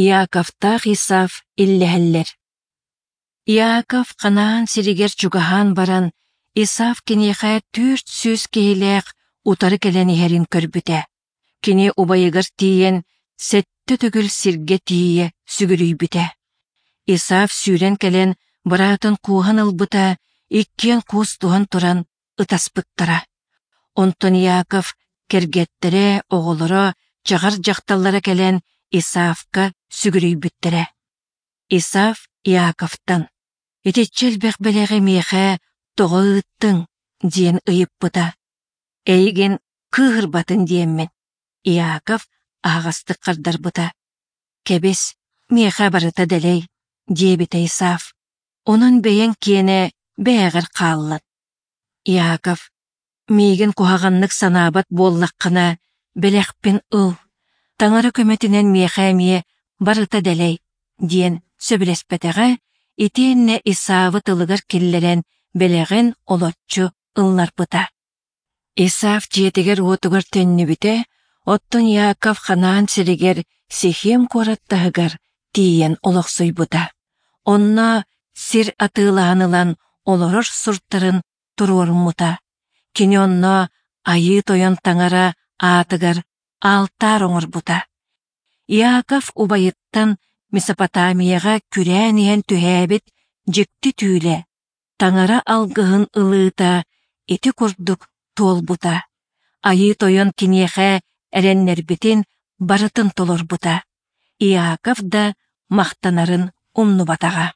Иаковтаах Исав иллэһэллэр. Иаков Ханаан сиригэр чугаһаан баран, Исав киниэхэ 400 киһилээх утары кэлэн иһэрин көрбүтэ. Кини убайыгар тиийэн, сэттэ төгүл сиргэ тиийэ сүгүрүйбүтэ. Исав сүүрэн кэлэн быраатын кууһан ылбыта, иккиэн куустуһан туран ытаспыттара. Онтон Иаков кэргэттэрэ, оҕолоро, чаҕар дьахталлара кэлэн Исавка сүгүрүйбүттэрэ. Исав Иаковтан: «Итиччэ элбэх бэлэҕи миэхэ тоҕо ыыттыҥ?» диэн ыйыппыта. «Эйигин кыыһырбатын диэммин», Иаков аһаҕастык хардарбыта. «Кэбис, миэхэ барыта дэлэй», диэбитэ Исав. «Онон бэйэҥ киэнэ бэйэҕэр хааллын». Иаков: «Миигин куһаҕаннык санаабат буоллаххына, бэлэхпин ыл. Таҥара көмөтүнэн миэхэ эмиэ барыта дэлэй», диэн сөбүлэспэтэҕэ итиэннэ Исаавы тылыгар киллэрэн бэлэҕин олоччу ылларбыта. Исав дьиэтигэр-уотугар төннүбүтэ, оттон Иаков Ханаан сиригэр Сихем куорат таһыгар тиийэн олохсуйбута. Онно сир атыылаһан ылан олорор суртарын туруоруммута. Кини онно Айыы Тойон Таҥара аатыгар аалтаар оҥорбута. Иаков убайыттан Месопотамияҕа күрээн иһэн түһээбит дьикти түүлэ, Таҥара алгыһын ылыыта ити курдук туолбута. Айыы Тойон киниэхэ эрэннэрбитин барытын толорбута. Иаков да махтанарын умнубатаҕа.